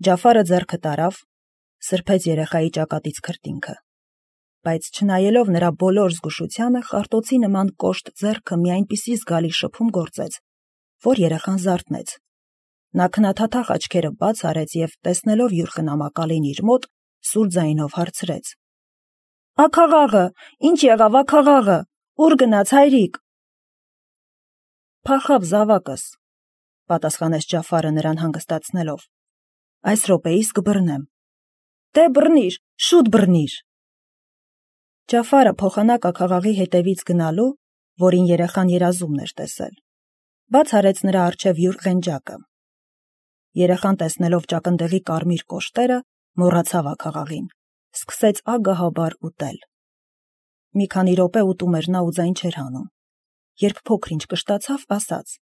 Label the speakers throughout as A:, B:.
A: Ջաֆարը ձեռքը տարավ, սրբեց երեխայի ճակատից քրտինքը, բայց չնայելով նրա բոլոր զգուշությանը, խարտոցի նման կոշտ ձեռքը մի այնպիսի զգալի շփում գործեց, որ երեխան զարթնեց։ Նա քնաթաթախ աչքերը բաց արեց և, տեսնելով յուր խնամակալին իր մոտ, սուր ձայնով հարցրեց. «Աքաղաղը, ինչ եղավ աքաղաղը, ուր գնաց հայրիկ»։ «Փախավ զավակս», պատասխանեց Ջաֆարը նրան հանգստացնելով։ «Այս րոպեիս կբռնեմ»։ «Դե բռնիր, շուտ բռնիր»։ Ջաֆարը փոխանակ աքաղաղի հետևից գնալու, որին երեխան երազումն էր տեսել, բաց արեց նրա առջև յուր ղենջակը։ Երեխան, տեսնելով ճակնդեղի կարմիր կոշտերը, մոռացավ աքաղաղին, սկսեց ագահաբար ուտել։ Մի քանի րոպե ուտում էր նա ու ձայն չէր հանում, երբ փոքր-ինչ կշտացավ, ասաց.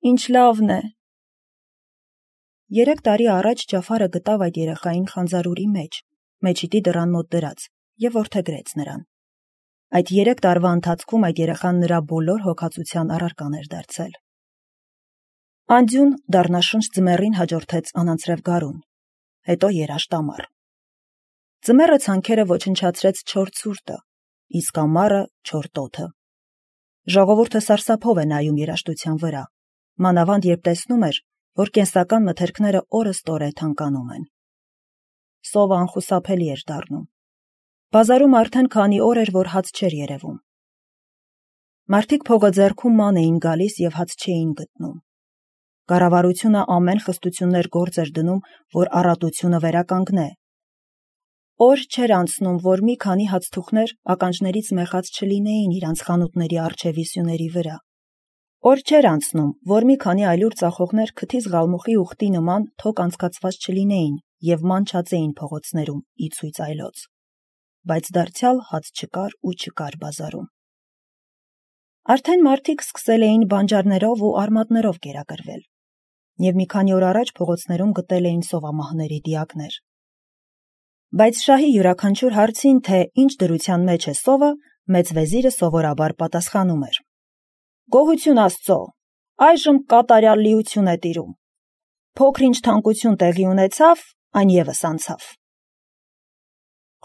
A: «Ինչ լավն է»։ 3 տարի առաջ Ջաֆարը գտավ այդ երեխային խանձարուրի մեջ, մեջիդի դռան մոտ դրած, և որդեգրեց նրան։ Այդ 3 տարվա ընթացքում այդ երեխան նրա բոլոր հոգացության առարկան էր դարձել։ Անդյուն դառնաշնչ ձմեռին հաջորդեց անանցրև գարուն, հետո երաշտ ամառ։ Ձմեռը ցանքերը ոչնչացրեց չոր ցուրտը, իսկ ամառը չոր տոթը։ Ժողովուրդը սարսափով է նայում երաշտության վրա, մանավանդ երբ տեսնում էր, որ կենսական մթերքները օրըստօրե թանկանում են։ Սովը անխուսափելի էր դառնում։ Բազարում արդեն քանի օր էր, որ հաց չէր երևում։ Մարդիկ փողը ձեռքում ման էին գալիս և հաց չէին գտնում։ Կառավարությունը ամեն խստություններ գործ էր դնում, որ առատությունը վերականգնե։ Օր չէր անցնում, որ մի քանի հացթուխներ ականջներից մեխած չլինեին իրանց խանութների առջևի սյուների վրա։ Օր չէր անցնում, որ մի քանի այլուր ծախողներ քթից ղալմուխի ուղտի նման թոք անցկացված չլինեին և ման չածեին փողոցներում ի ցույց այլոց։ Բայց դարձյալ հաց չկար ու չկար բազարում։ Արդեն մարդիկ սկսել էին բանջարներով ու արմատներով կերակրվել, և մի քանի օր առաջ փողոցներում գտել էին սովամահների դիակներ։ Բայց շահի յուրաքանչյուր հարցին, թե ինչ դրության մեջ է սովը, մեծ վեզիրը սովորաբար պատասխանում էր. «Գոհություն Աստծո, այժմ կատարյալ լիություն է տիրում։ Փոքր-ինչ թանկություն տեղի ունեցավ, այն ևս անցավ»։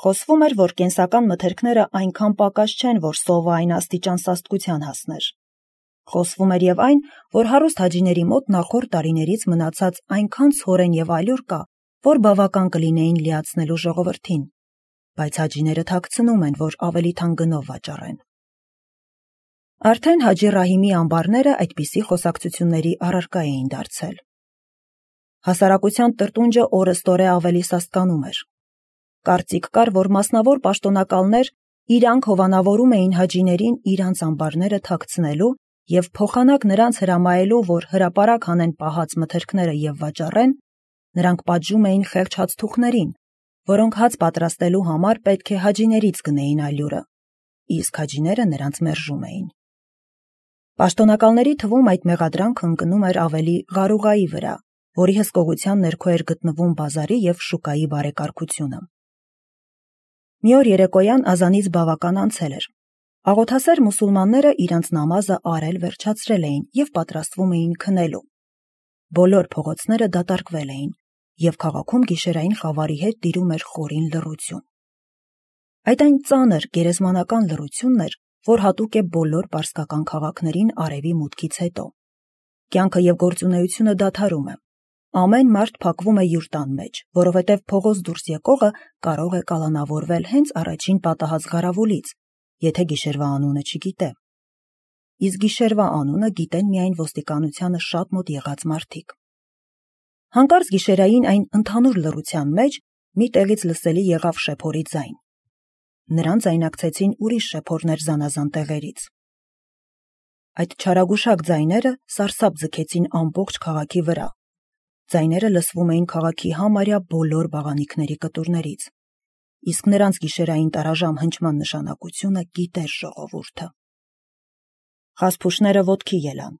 A: Խոսվում էր, որ կենսական մթերքները այնքան պակաս չեն, որ սովը այն աստիճան սաստկության հասներ։ Խոսվում էր և այն, որ հարուստ հաջիների մոտ նախորդ տարիներից մնացած այնքան ցորեն և այլուր կա, որ բավական կլինեին լիացնելու ժողովրդին, բայց հաջիները թաքցնում են, որ ավելի թանկ գնով վաճառեն։ Արդեն Հաջի Ռահիմի ամբարները այդպիսի խոսակցությունների առարկա էին դարձել։ Հասարակության տրտունջը օրըստօրե ավելի սաստկանում էր։ Կարծիք կար, որ մասնավոր պաշտոնակալներ իրանք հովանավորում էին հաջիներին իրանց ամբարները թաքցնելու և փոխանակ նրանց հրամայելու, որ հրապարակ հանեն պահած մթերքները և վաճառեն, նրանք պատժում էին խեղճ հացթուխներին, որոնք հաց պատրաստելու համար պետք է հաջիներից գնեին այլուրը, իսկ հաջիները նրանց մերժում էին։ Պաշտոնակալների թվում այդ մեղադրանքը ընկնում էր ավելի Ղարուղայի վրա, որի հսկողության ներքո էր գտնվում բազարի և շուկայի բարեկարգությունը։ Մի օր երեկոյան ազանից բավական անցել էր։ Աղոթասեր մուսուլմանները իրանց նամազը արել վերջացրել էին և պատրաստվում էին քնելու։ Բոլոր փողոցները դատարկվել էին, և քաղաքում գիշերային խավարի հետ տիրում էր խորին լռություն։ Այդ այն ծանր գերեզմանական լռությունն էր, որ հատուկ է բոլոր պարսկական քաղաքներին արևի մուտքից հետո։ Կյանքը և գործունեությունը դադարում է։ Ամեն մարդ փակվում է յուր տան մեջ, որովհետև փողոց դուրս եկողը կարող է կալանավորվել հենց առաջին պատահած ղարավուլից, եթե գիշերվա անունը չգիտե։ Իսկ գիշերվա անունը գիտեն միայն ոստիկանությանը շատ մոտ եղած մարդիկ։ Հանկարծ գիշերային այն ընդհանուր լռության մեջ մի տեղից լսելի եղավ շեփորի ձայն։ Նրան ձայնակցեցին ուրիշ շեփորներ զանազան տեղերից։ Այդ չարագուշակ ձայները սարսափ ձգեցին ամբողջ քաղաքի վրա։ Ձայները լսվում էին քաղաքի համարյա բոլոր բաղանիքների կտուրներից, իսկ նրանց գիշերային տարաժամ հնչման նշանակությունը գիտեր ժողովուրդը։ Խասփուշները ոտքի ելան։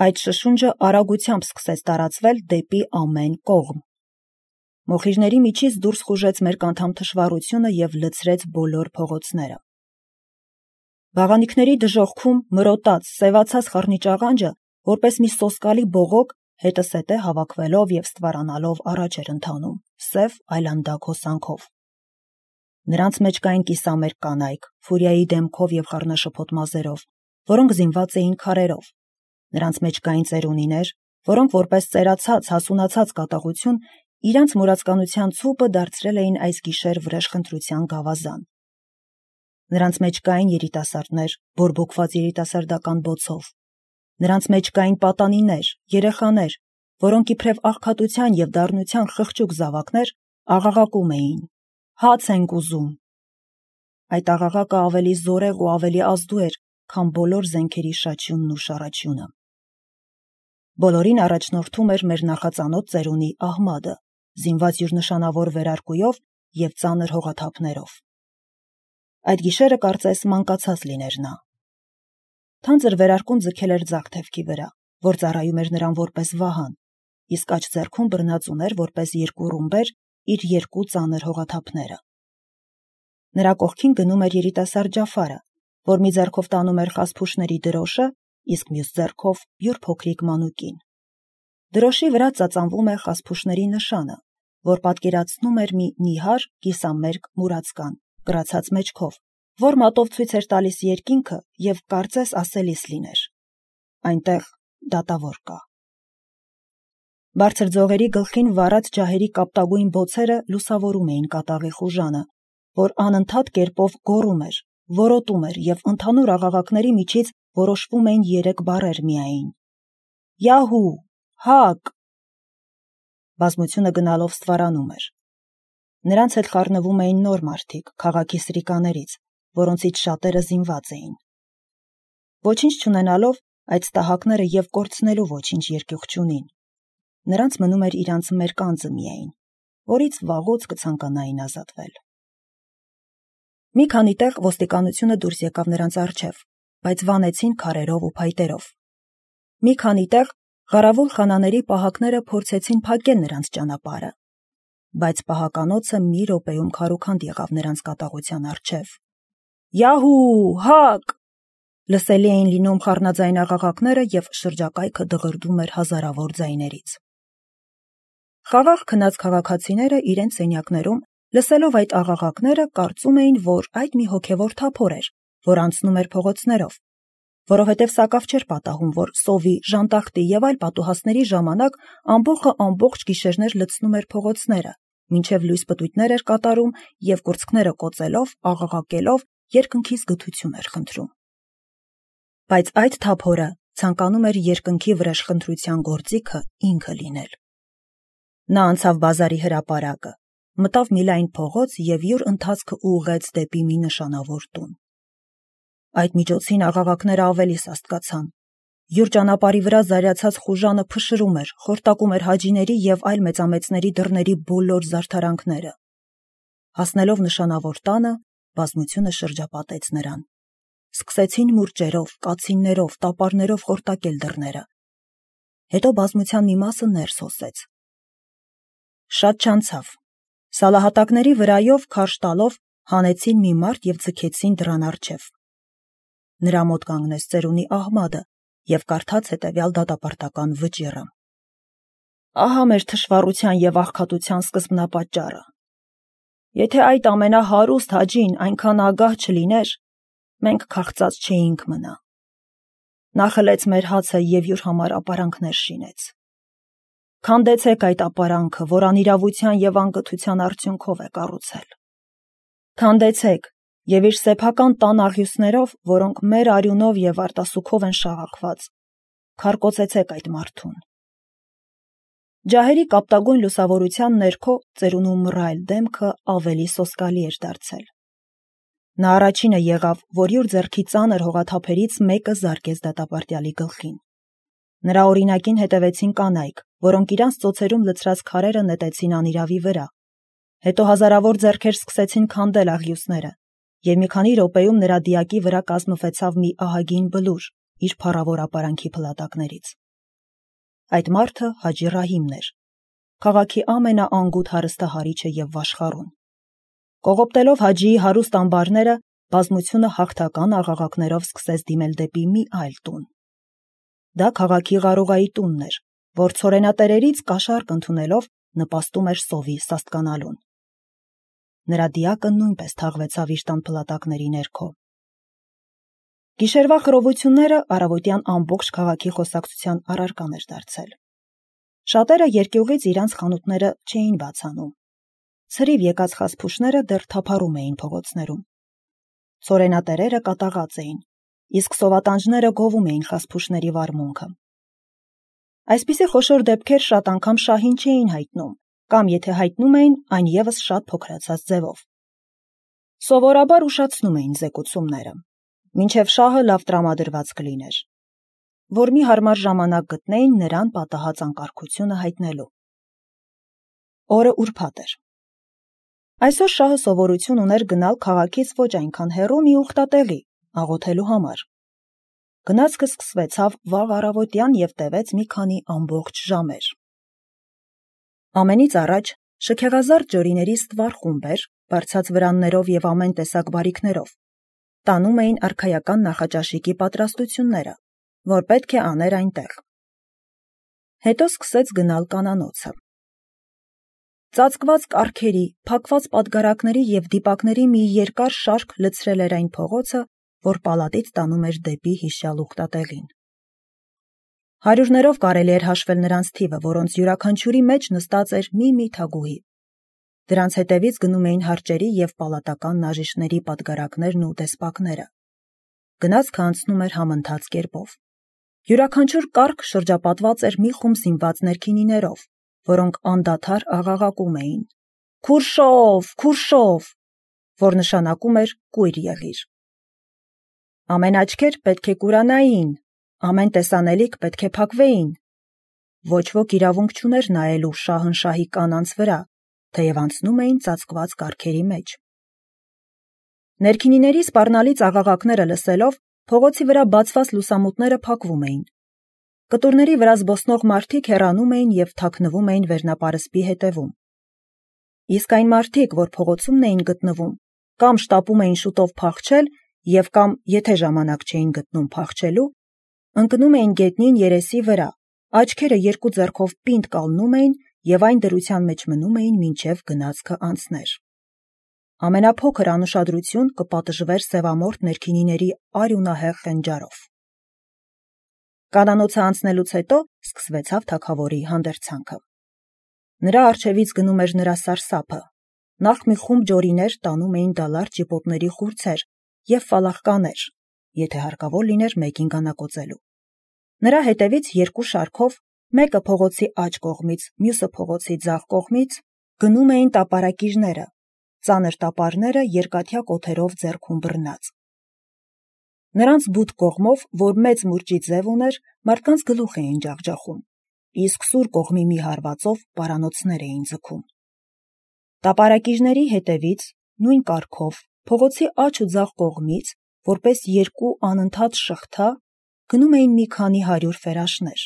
A: Այդ շշունջը արագությամբ սկսեց տարածվել դեպի ամեն կողմ։ Մոխիրների միջից դուրս խուժեց մերկ անդամ թշվառությունը և լցրեց բոլոր փողոցները։ Բաղանիքների դժոխքում մրոտած, սևացած խռնիճ աղանջը, որպես մի սոսկալի բողոք, հետսետե հավաքվելով և ստվարանալով առաջ էր ընթանում, սև այլանդակ հոսանքով։ Նրանց մեջ կային կիսամերկ կանայք, Ֆուրիայի դեմքով և խառնաշփոթ մազերով, որոնք զինված էին քարերով։ Նրանց մեջ կային ծերունիներ, որոնք որպես ծերացած, հասունացած կատաղություն իրանց մուրացկանության ցուպը դարձրել էին այս գիշեր վրեժխնդրության գավազան։ Նրանց մեջ կային երիտասարդներ, բորբոքված երիտասարդական բոցով։ Նրանց մեջ կային պատանիներ, երեխաներ, որոնք իբրև աղքատության և դառնության խղճուկ զավակներ աղաղակում էին. «Հաց ենք ուզում»։ Այդ աղաղակը ավելի զորեղ ու ավելի ազդու էր, քան բոլոր զենքերի շաչյունն ու շառաչյունը։ Բոլորին առաջնորդում էր մեր նախածանոթ ծերունի Ահմադը, զինված իր նշանավոր վերարկուով և ծանր հողաթափներով։ Այդ գիշերը կարծես մանկացած լիներ նա։ Թանձր վերարկուն ձգել էր ձախ թևքի վրա, որ ծառայում էր նրան որպես վահան, իսկ աջ ձեռքում բռնած ուներ որպես երկու ռումբեր իր երկու ծանր հողաթափները։ Նրա կողքին գնում էր երիտասարդ Ջաֆարը, որ մի ձեռքով տանում էր խասփուշների դրոշը, իսկ մյուս ձեռքով յուր փոքրիկ մանուկին։ Դրոշի վրա ծածանվում է խասփուշների նշանը, որ պատկերացնում էր մի նիհար կիսամերկ մուրացկան, կրացած մեջքով, որ մատով ցույց էր տալիս երկինքը և կարծես ասելիս լիներ. այնտեղ դատավոր կա։ Բարձր ձողերի գլխին վառած ջահերի կապտագույն բոցերը լուսավորում էին կատաղի խուժանը, որ անընդհատ կերպով գոռում էր, որոտում էր և ընդհանուր աղաղակների միջից որոշվում էին 3 բառեր միայն. «Յահու! Հակ!» Բազմությունը գնալով ստվարանում էր։ Նրանց հետ խառնվում էին նոր մարդիկ, քաղաքի սրիկաներից, որոնցից շատերը զինված էին։ Ոչինչ չունենալով, այդ ստահակները և կորցնելու ոչինչ երկյուղ չունին։ Նրանց մնում էր իրանց մերկանձը միայն, որից վաղուց կցանկանային ազատվել։ Մի քանի տեղ ոստիկանությունը դուրս եկավ նրանց առջև, բայց վանեցին քարերով ու փայտերով։ Մի քանի տեղ Ղարավուլ խանաների պահակները փորձեցին փակել նրանց ճանապարհը, բայց պահականոցը մի րոպեում քարուքանդ եղավ նրանց կատաղության առջև։ «Յահու! Հակ!» Լսելի էին լինում խառնաձայն աղաղակները և շրջակայքը դղրդում էր հազարավոր ձայներից։ Խաղաղ քնած քաղաքացիները իրենց սենյակներում, լսելով այդ աղաղակները, կարծում էին, որ այդ մի հոգևոր թափոր էր, որ անցնում էր փողոցներով, որովհետև սակավ չէր պատահում, որ սովի, ժանտախտի և այլ պատուհասների ժամանակ ամբոխը ամբողջ գիշերներ լցնում էր փողոցները, մինչև լույս պտույտներ էր կատարում և կուրծքները կոծելով, աղաղակելով երկնքից գթություն էր խնդրում։ Բայց այդ թափորը ցանկանում էր երկնքի վրեժխնդրության գործիքը ինքը լինել։ Նա անցավ բազարի հրապարակը, մտավ մի լայն փողոց և յուր ընթացքը ուղղեց դեպի մի նշանավոր տուն։ Այդ միջոցին աղաղակները ավելի սաստկացան։ Յուր ճանապարհի վրա զայրացած խուժանը փշրում էր, խորտակում էր հաջիների և այլ մեծամեծների դռների բոլոր զարդարանքները։ Հասնելով նշանավոր տանը, բազմությունը շրջապատեց նրան։ Սկսեցին մուրճերով, կացիններով, տապարներով խորտակել դռները։ Հետո բազմության մի մասը ներս հոսեց։ Շատ չանցավ։ Սալահատակների վրայով քարշ տալով հանեցին մի մարդ և ձգեցին դռան առջև։ Նրա մոտ կանգնեց ծերունի Ահմադը և կարդաց հետևյալ դատապարտական վճիռը. «Ահա մեր թշվառության և աղքատության սկզբնապատճառը։ Եթե այդ ամենահարուստ հաջին այնքան ագահ չլիներ, մենք քաղցած չէինք մնա։ Նա խլեց մեր հացը և յուր համար ապարանքներ շինեց։ Քանդեցեք այդ ապարանքը, որ անիրավության և անկթության արդյունքով է կառուցել։ Քանդեցեք և իր սեփական տան աղյուսներով, որոնք մեր արյունով և արտասուքով են շաղախված, քարկոծեցեք այդ մարդուն»։ Ջահերի կապտագույն լուսավորության ներքո ծերունու մռայլ դեմքը ավելի սոսկալի էր դարձել։ Նա առաջինը եղավ, որ յուր ձեռքի ծանր հողաթափերից մեկը զարկեց դատապարտյալի գլխին։ Նրա օրինակին հետևեցին կանայք, որոնք իրանց ծոցերում լցրած քարերը նետեցին անիրավի վրա։ Հետո հազարավոր ձեռքեր սկսեցին քանդել աղյուսները, և մի քանի րոպեում նրա դիակի վրա կազմվեցավ մի ահագին բլուր իր փառավոր ապարանքի փլատակներից։ Այդ մարդը Հաջի Ռահիմն էր, քաղաքի ամենաանգութ հարստահարիչը և վաշխառուն։ Կողոպտելով Հաջիի հարուստ ամբարները, բազմությունը հաղթական աղաղակներով սկսեց դիմել դեպի մի այլ տուն։ Դա քաղաքի Ղարուղայի տունն էր, որ ցորենատերերից կաշառք ընդունելով նպաստում էր սովի սաստկանալուն։ Նրա դիակը նույնպես թաղվեցավ իր տան փլատակների ներքո։ Գիշերվա խռովությունները առավոտյան ամբողջ քաղաքի խոսակցության առարկան էր դարձել։ Շատերը երկյուղից իրանց խանութները չէին բացանում։ Ցրիվ եկած խասփուշները դեռ թափառում էին փողոցներում։ Ցորենատերերը կատաղած էին, իսկ սովատանջները գովում էին խասփուշների վարմունքը։ Այսպիսի խոշոր դեպքեր շատ անգամ շահին չէին հայտնում, կամ եթե հայտնում էին, այն ևս շատ փոքրացած ձևով։ Սովորաբար ուշացնում էին զեկուցումները, մինչև շահը լավ տրամադրված կլիներ, որ մի հարմար ժամանակ գտնեին նրան պատահած անկարգությունը հայտնելու։ Օրը ուրբաթ էր։ Այսօր շահը սովորություն ուներ գնալ քաղաքից ոչ այնքան հեռու մի ուխտատեղի, աղոթելու համար։ Գնացքը սկսվեցավ վաղ առավոտյան և տևեց մի քանի ամբողջ ժամեր։ Ամենից առաջ շքեղազարդ ջորիների ստվար խումբեր, բարձած վրաններով և ամեն տեսակ բարիքներով, տանում էին արքայական նախաճաշիկի պատրաստությունները, որ պետք է աներ այնտեղ։ Հետո սկսեց գնալ կանանոցը։ Ծածկված կառքերի, փակված պատգարակների և դիպակների մի երկար շարք լցրել էր այն փողոցը, որ պալատից տանում էր դեպի հիշյալ ուխտատեղին։ Հարյուրներով կարելի էր հաշվել նրանց թիվը, որոնց յուրաքանչյուրի մեջ նստած էր մի թագուհի։ Դրանց հետևից գնում էին հարճերի և պալատական նաժիշների պատգարակներն ու դեսպակները։ Գնացքը անցնում էր համընթաց կերպով։ Յուրաքանչյուր կառք շրջապատված էր մի խումբ զինված ներքինիներով, որոնք անդադար աղաղակում էին. «Քուրշով, քուրշով», որ նշանակում էր «կույր եղիր»։ Ամեն աչքեր պետք է կուրանային, ամեն տեսանելիք պետք է փակվեին։ Ոչ ոք իրավունք չուներ նայելու շահնշահի կանանց վրա, թեև անցնում էին ծածկված կառքերի մեջ։ Ներքինիների սպառնալից աղաղակները լսելով, փողոցի վրա բացված լուսամուտները փակվում էին։ Կտուրների վրա զբոսնող մարդիկ հեռանում էին և թաքնվում էին վերնապարսպի հետևում։ Իսկ այն մարդիկ, որ փողոցումն էին գտնվում, կամ շտապում էին շուտով փախչել և կամ, եթե ժամանակ չէին գտնում փախչելու, ընկնում էին գետնին երեսի վրա, աչքերը երկու ձեռքով պինդ կալնում էին և այն դրության մեջ մնում էին, մինչև գնացքը անցներ։ Ամենափոքր անուշադրություն կպատժվեր սևամորթ ներքինիների արյունահեղ խենջարով։ Կանանոցը անցնելուց հետո սկսվեցավ թագավորի հանդերձանքը։ Նրա առջևից գնում էր նրա սարսափը։ Նախ մի խումբ ջորիներ տանում էին դալար ճիպոտների խուրձեր և ֆալախկաներ, եթե հարկավոր լիներ մեկին գանակոծելու։ Նրա հետևից երկու շարքով, մեկը փողոցի աջ կողմից, մյուսը փողոցի ձախ կողմից, գնում էին տապարակիժները, ծանր տապարները երկաթյա կոթերով ձեռքում բռնած։ Նրանց բութ կողմով, որ մեծ մուրճի ձև ուներ, մարդկանց գլուխ էին ջախջախում, իսկ սուր կողմի մի հարվածով պարանոցներ էին ձգում։ Տապարակիժների հետևից, նույն կարգով, փողոցի աջ ու ձախ կողմից, որպես երկու անընդհատ շղթա, գնում էին մի քանի 100 ֆերաշներ։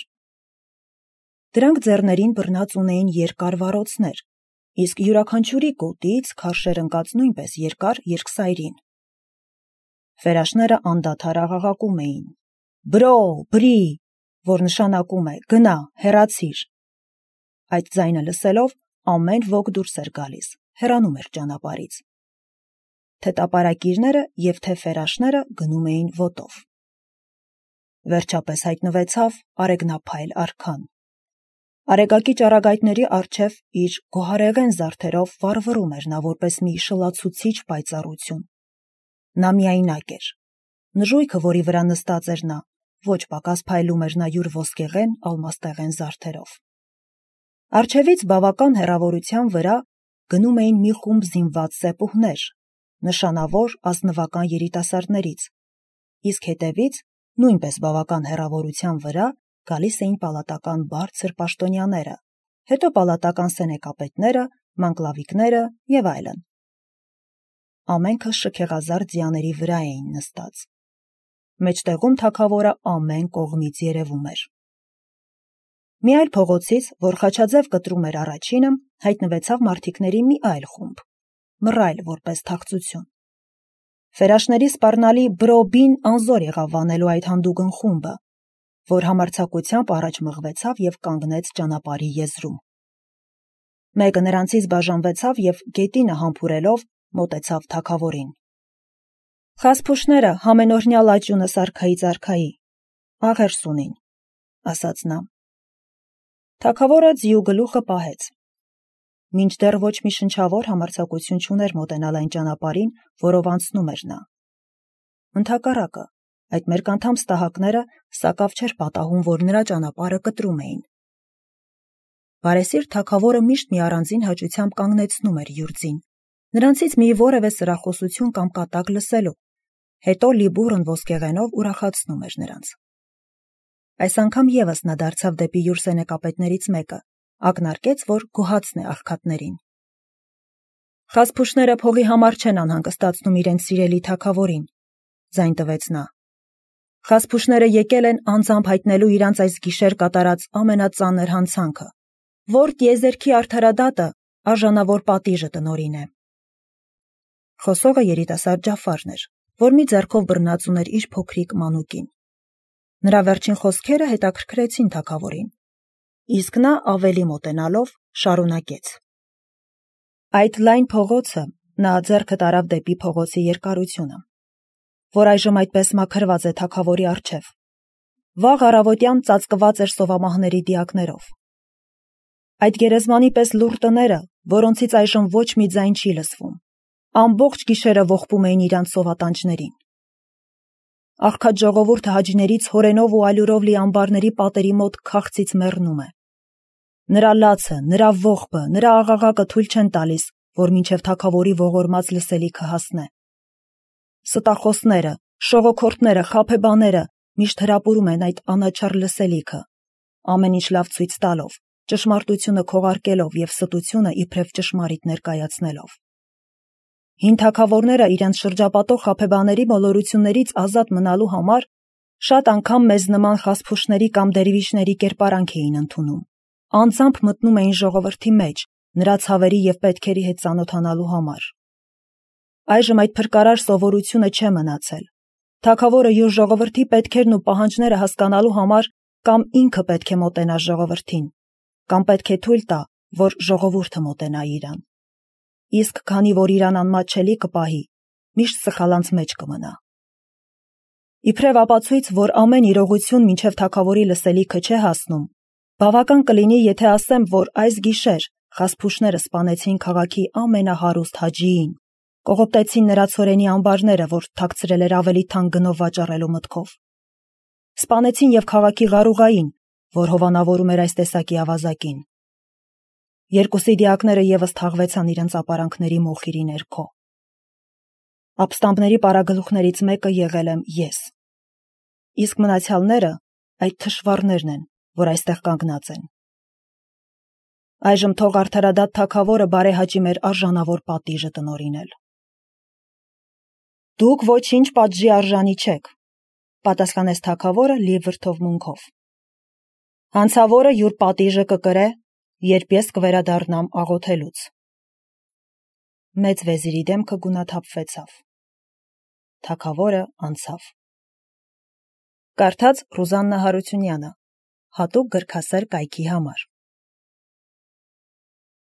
A: Դրանք ձեռներին բռնած ունեին երկար վառոցներ, իսկ յուրաքանչյուրի գոտից քարշեր ընկած նույնպես երկար երկսայրին։ Ֆերաշները անդադար աղաղակում էին. «Բրո, բրի», որ նշանակում է «գնա, հեռացիր»։ Այդ ձայնը լսելով ամեն ոք դուրս էր գալիս, հեռանում էր ճանապարհից։ Թե տապարակիժները և թե ֆերաշները գնում էին ոտով։ Վերջապես հայտնվեցավ արեգնափայլ արքան։ Արեգակի ճառագայթների առջև իր գոհարեղեն զարդերով վառվռում էր նա որպես մի շլացուցիչ պայծառություն։ Նա միայնակ էր։ Նժույգը, որի վրա նստած էր նա, ոչ պակաս փայլում էր նա յուր ոսկեղեն, ալմաստեղեն զարդերով։ Առջևից բավական հեռավորության վրա գնում էին մի խումբ զինված սեպուհներ, նշանավոր ազնվական երիտասարդներից, իսկ հետևից, նույնպես բավական հեռավորության վրա, գալիս էին պալատական բարձր պաշտոնյաները, հետո պալատական սենեկապետները, մանկլավիկները և այլն։ Ամենքը շքեղազարդ ձիաների վրա էին նստած։ Մեջտեղում թագավորը ամեն կողմից երևում էր։ Մի այլ փողոցից, որ խաչաձև կտրում էր առաջինը, հայտնվեցավ մարդիկների մի այլ խումբ, մռայլ որպես թախծություն։ Ֆերաշների սպառնալի բրոբին անզոր եղավ վանելու այդ հանդուգն խումբը, որ համարձակությամբ առաջ մղվեցավ և կանգնեց ճանապարհի եզրում։ Մեկը նրանցից բաժանվեցավ և գետինը համբուրելով մոտեցավ թագավորին։ «Խասփուշները համենօրյա լաճյունը սարքայից արքայի, աղերս ունին», ասաց նա։ Թագավորը ձիու գլուխը պահեց։ Մինչդեռ ոչ մի շնչավոր համարձակություն չուներ մոտենալ այն ճանապարհին, որով անցնում էր նա։ Ընդհակառակը, այդ մերկանդամ ստահակները սակավ չէր պատահում, որ նրա ճանապարհը կտրում էին։ Բարեսիրտ թագավորը միշտ մի առանձին հաճությամբ կանգնեցնում էր յուր ձին, նրանցից մի որևէ սրախոսություն կամ կատակ լսելու, հետո լիբուռն ոսկեղենով ուրախացնում էր նրանց։ Այս անգամ ևս նա դարձավ դեպի յուր սենեկապետներից մեկը, ակնարկեց, որ գոհացն է աղքատներին։ «Խասփուշները փողի համար չեն անհանգստացնում իրենց սիրելի թագավորին», ձայն տվեց նա։ «Խասփուշները եկել են անձամբ հայտնելու իրանց այս գիշեր կատարած ամենածանր հանցանքը, որ տիեզերքի արդարադատը արժանավոր պատիժը տնօրինե»։ Խոսողը երիտասարդ Ջաֆարն էր, որ մի ձեռքով բռնած ուներ իր փոքրիկ մանուկին։ Նրա վերջին խոսքերը հետաքրքրեցին թագավորին, իսկ նա ավելի մոտենալով շարունակեց. «Այդ լայն փողոցը», նա ձեռքը տարավ դեպի փողոցի երկարությունը, որ այժմ այդպես մաքրված է թագավորի առջև, վաղ առավոտյան ծածկված էր սովամահների դիակներով։ Այդ գերեզմանի պես լուռ տները, որոնցից այժմ ոչ մի ձայն չի լսվում, ամբողջ գիշերը ողբում էին իրանց սովատանջներին։ Աղքատ ժողովուրդը հաջիներից հորենով ու ալյուրով լի ամբարների պատերի մոտ քաղցից մեռնում է։ Նրա լացը, նրա ողբը, նրա աղաղակը թույլ չեն տալիս, որ մինչև թագավորի ողորմած լսելիքը հասնե։ Ստախոսները, շողոքորթները, խաբեբաները միշտ հրապուրում են այդ անաչառ լսելիքը, ամեն ինչ լավ ցույց տալով, ճշմարտությունը քողարկելով և ստությունը իբրև ճշմարիտ ներկայացնելով։ Հին թագավորները իրենց շրջապատող խաբեբաների մոլորություններից ազատ մնալու համար շատ անգամ մեզ նման խասփուշների կամ դերվիշների կերպարանք էին ընդունում, անձամբ մտնում էին ժողովրդի մեջ, նրա ցավերի և պետքերի հետ ծանոթանալու համար։ Այժմ այդ փրկարար սովորությունը չէ մնացել։ Թագավորը յուր ժողովրդի պետքերն ու պահանջները հասկանալու համար կամ ինքը պետք է մոտենա ժողովրդին, կամ պետք է թույլ տա, որ ժողովուրդը մոտենա իրան։ Իսկ քանի որ իրան անմատչելի կպահի, միշտ սխալանց մեջ կմնա։ Իբրև ապացույց, որ ամեն իրողություն մինչև թագավորի լսելիքը չէ հասնում, բավական կլինի, եթե ասեմ, որ այս գիշեր խասփուշները սպանեցին քաղաքի ամենահարուստ հաջիին, կողոպտեցին նրա ցորենի ամբարները, որ թաքցրել էր ավելի թանկ գնով վաճառելու մտքով։ Սպանեցին և քաղաքի ղարուղային, որ հովանավորում էր այս տեսակի ավազակին։ Երկուսի դիակները ևս թաղվեցան իրենց ապարանքների մոխիրի ներքո։ Ապստամբների պարագլուխներից մեկը եղել եմ ես։ Իսկ մնացյալները այդ թշվառներն են, որ այստեղ կանգնած են։ Այժմ թող արդարադատ թագավորը բարեհաճի մեր արժանավոր պատիժը տնօրինել։ Դուք ոչինչ պատժի արժանի չեք, պատասխանեց թագավորը լի վրդովմունքով։ Հանցավորը յուր պատիժը կկրե, երբ ես կվերադառնամ աղոթելուց։ Մեծ վեզիրի դեմքը գունաթափվեցավ։ Թագավորը անցավ։ Կարդաց Ռուզաննա Հարությունյանը, հատուկ գրքասեր կայքի համար։